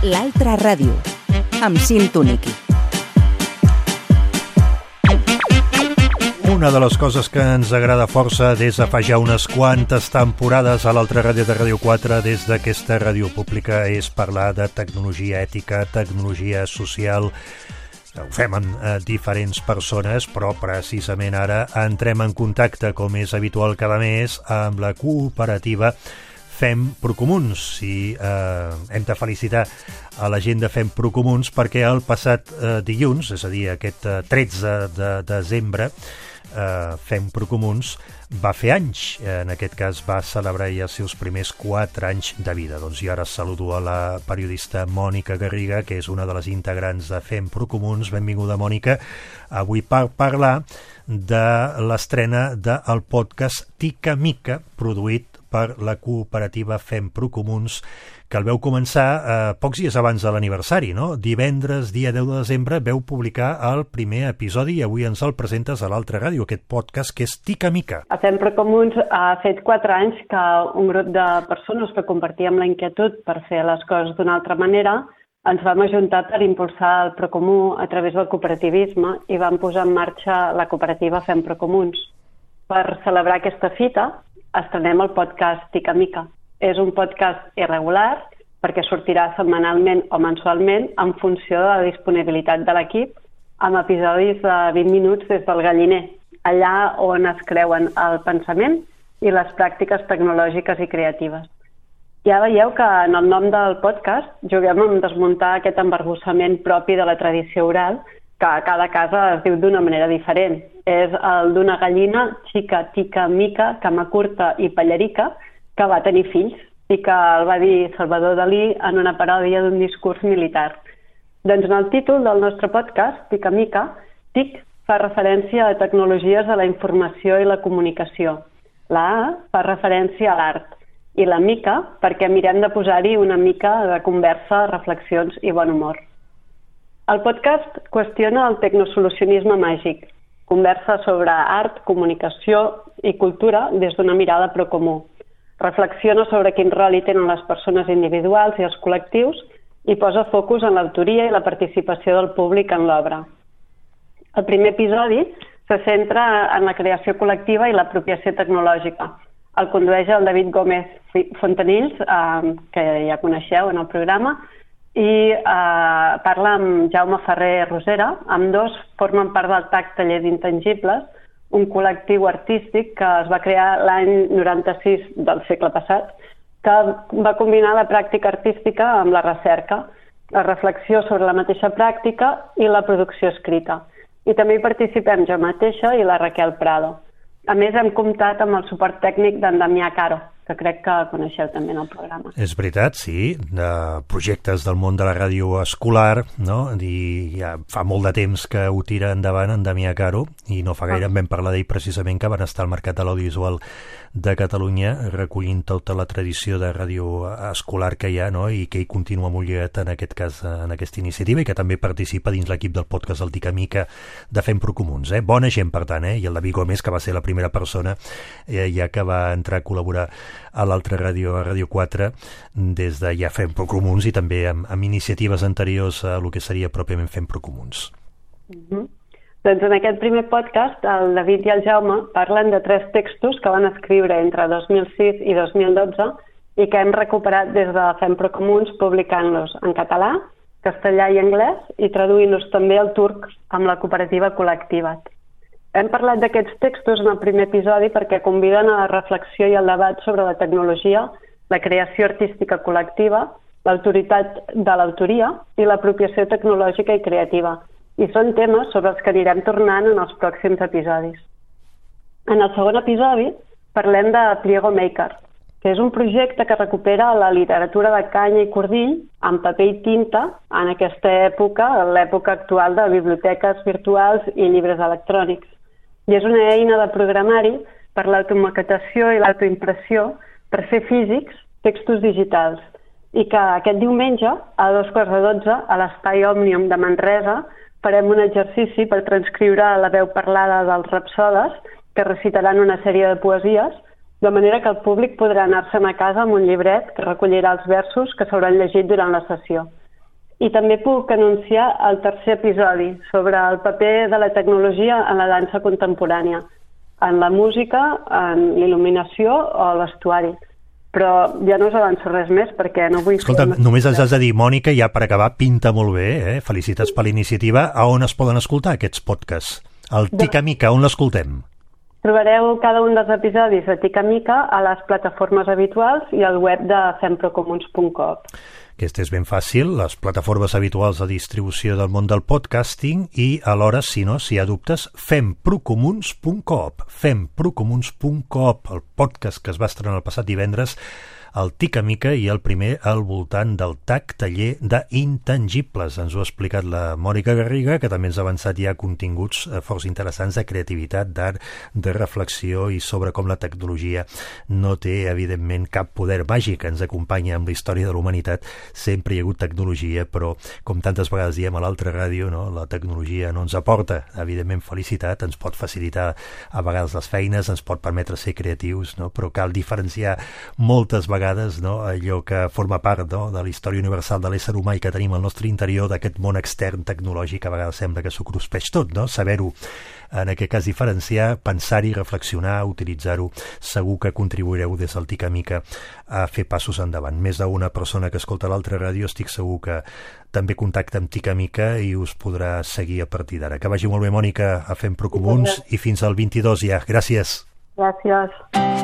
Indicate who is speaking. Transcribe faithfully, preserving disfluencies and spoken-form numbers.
Speaker 1: L'altra ràdio, amb Cinto Niqui.
Speaker 2: Una de les coses que ens agrada força des de fa ja unes quantes temporades a l'altra ràdio de Ràdio quatre, des d'aquesta ràdio pública, és parlar de tecnologia ètica, tecnologia social. Ho fem amb eh, diferents persones, però precisament ara entrem en contacte, com és habitual cada mes, amb la cooperativa Fem Procomuns. I eh, hem de felicitar a la gent de Fem Procomuns perquè el passat eh, dilluns, és a dir, aquest eh, tretze de desembre, eh, Fem Procomuns va fer anys. En aquest cas va celebrar ja els seus primers quatre anys de vida. Doncs jo ara saludo a la periodista Mònica Garriga, que és una de les integrants de Fem Procomuns. Benvinguda, Mònica, avui per parlar de l'estrena del podcast Tica Mica, produït per la cooperativa Fem Procomuns, que el veu començar eh, pocs dies abans de l'aniversari, no? Divendres, dia deu de desembre, veu publicar el primer episodi i avui ens el presentes a l'altra ràdio, aquest podcast que és Tica Mica.
Speaker 3: A Fem Procomuns ha fet quatre anys que un grup de persones que compartíem la inquietud per fer les coses d'una altra manera ens vam ajuntar per impulsar el Procomú a través del cooperativisme i vam posar en marxa la cooperativa Fem Procomuns. Per celebrar aquesta fita, estrenem el podcast Tica Mica. És un podcast irregular perquè sortirà setmanalment o mensualment en funció de la disponibilitat de l'equip, amb episodis de vint minuts des del galliner, allà on es creuen el pensament i les pràctiques tecnològiques i creatives. Ja veieu que en el nom del podcast juguem a desmuntar aquest embarbussament propi de la tradició oral, que a cada casa es diu d'una manera diferent. És el d'una gallina, xica, tica, mica, cama curta i pallerica, que va tenir fills i que el va dir Salvador Dalí en una paròdia d'un discurs militar. Doncs en el títol del nostre podcast, Tica Mica, Tic fa referència a tecnologies de la informació i la comunicació. La A fa referència a l'art i la mica perquè mirem de posar-hi una mica de conversa, reflexions i bon humor. El podcast qüestiona el tecnosolucionisme màgic, conversa sobre art, comunicació i cultura des d'una mirada procomú. Reflexiona sobre quin rol hi tenen les persones individuals i els col·lectius i posa focus en l'autoria i la participació del públic en l'obra. El primer episodi se centra en la creació col·lectiva i l'apropiació tecnològica. El condueix el David Gómez Fontanills, eh, que ja coneixeu en el programa, i eh, parla amb Jaume Ferrer Rosera. Ambdós formen part del T A C Taller d'Intangibles, un col·lectiu artístic que es va crear l'any noranta-sis del segle passat, que va combinar la pràctica artística amb la recerca, la reflexió sobre la mateixa pràctica i la producció escrita. I també hi participem jo mateixa i la Raquel Prado. A més, hem comptat amb el suport tècnic d'en Damià Caro, que crec que coneixeu també en el programa.
Speaker 2: És veritat, sí, de projectes del món de la ràdio escolar, no? I ja fa molt de temps que ho tira endavant en Damià Caro, i no fa gaire en vam parlar d'ell precisament, que van estar al Mercat de l'Audiovisual de Catalunya recollint tota la tradició de ràdio escolar que hi ha, no? I que ell continua molt lligat en aquest cas, en aquesta iniciativa, i que també participa dins l'equip del podcast del Tica Mica de Fem Procomuns. Eh? Bona gent, per tant, eh? I el David Gómez, que va ser la primera persona eh, ja que va entrar a col·laborar a l'altra ràdio, a Ràdio quatre, des de ja Fem Procomuns i també amb, amb iniciatives anteriors a el que seria pròpiament Fem Procomuns.
Speaker 3: Mm-hmm. Doncs en aquest primer podcast el David i el Jaume parlen de tres textos que van escriure entre dos mil sis i dos mil dotze i que hem recuperat des de Fem Procomuns publicant-los en català, castellà i anglès i traduint-los també al turc amb la cooperativa Col·lectivat. Hem parlat d'aquests textos en el primer episodi perquè conviden a la reflexió i al debat sobre la tecnologia, la creació artística col·lectiva, l'autoritat de l'autoria i l'apropiació tecnològica i creativa. I són temes sobre els que anirem tornant en els pròxims episodis. En el segon episodi parlem de Pliego Maker, que és un projecte que recupera la literatura de canya i cordill en paper i tinta en aquesta època, l'època actual de biblioteques virtuals i llibres electrònics. I és una eina de programari per l'automaquetació i l'autoimpressió per fer físics textos digitals i que aquest diumenge, a dos quarts de dotze, a l'Espai Òmnium de Manresa, farem un exercici per transcriure la veu parlada dels rapsodes que recitaran una sèrie de poesies, de manera que el públic podrà anar-se'n a casa amb un llibret que recollirà els versos que s'hauran llegit durant la sessió. I també puc anunciar el tercer episodi sobre el paper de la tecnologia en la dansa contemporània, en la música, en l'il·luminació o l'estuari. Però ja no us avanço res més perquè no vull...
Speaker 2: Escolta, fer només ens has de dir, Mònica, ja per acabar, pinta molt bé, eh? Felicitats per la iniciativa. A on es poden escoltar aquests podcasts? El Tica Mica, on l'escoltem?
Speaker 3: Trobareu cada un dels episodis de Tica Mica a les plataformes habituals i al web de femprocomuns punt com.
Speaker 2: Aquest és ben fàcil, les plataformes habituals de distribució del món del podcasting i, alhora, si no, si hi ha dubtes, femprocomuns punt com, femprocomuns punt com, el podcast que es va estrenar el passat divendres, el Tica Mica i el primer al voltant del T A C, taller d'intangibles. Ens ho ha explicat la Mònica Garriga, que també ens ha avançat ja continguts forts interessants de creativitat, d'art, de reflexió i sobre com la tecnologia no té, evidentment, cap poder màgic. Ens acompanya amb la història de la humanitat. Sempre hi ha hagut tecnologia, però, com tantes vegades diem a l'altra ràdio, no? La tecnologia no ens aporta, evidentment, felicitat, ens pot facilitar a vegades les feines, ens pot permetre ser creatius, no? Però cal diferenciar moltes vegades no? Allò que forma part no? de la història universal de l'ésser humà i que tenim al nostre interior, d'aquest món extern tecnològic, a vegades sembla que s'ho cruspeix tot, no? Saber-ho, en aquest cas diferenciar, pensar-hi, reflexionar, utilitzar-ho, segur que contribuireu des del Tica Mica a fer passos endavant. Més d'una persona que escolta l'altra ràdio estic segur que també contacta amb Tica Mica i us podrà seguir a partir d'ara. Que vagi molt bé, Mònica, a Fem Procomuns i fins al vint-i-dos ja. Gràcies.
Speaker 3: Gràcies.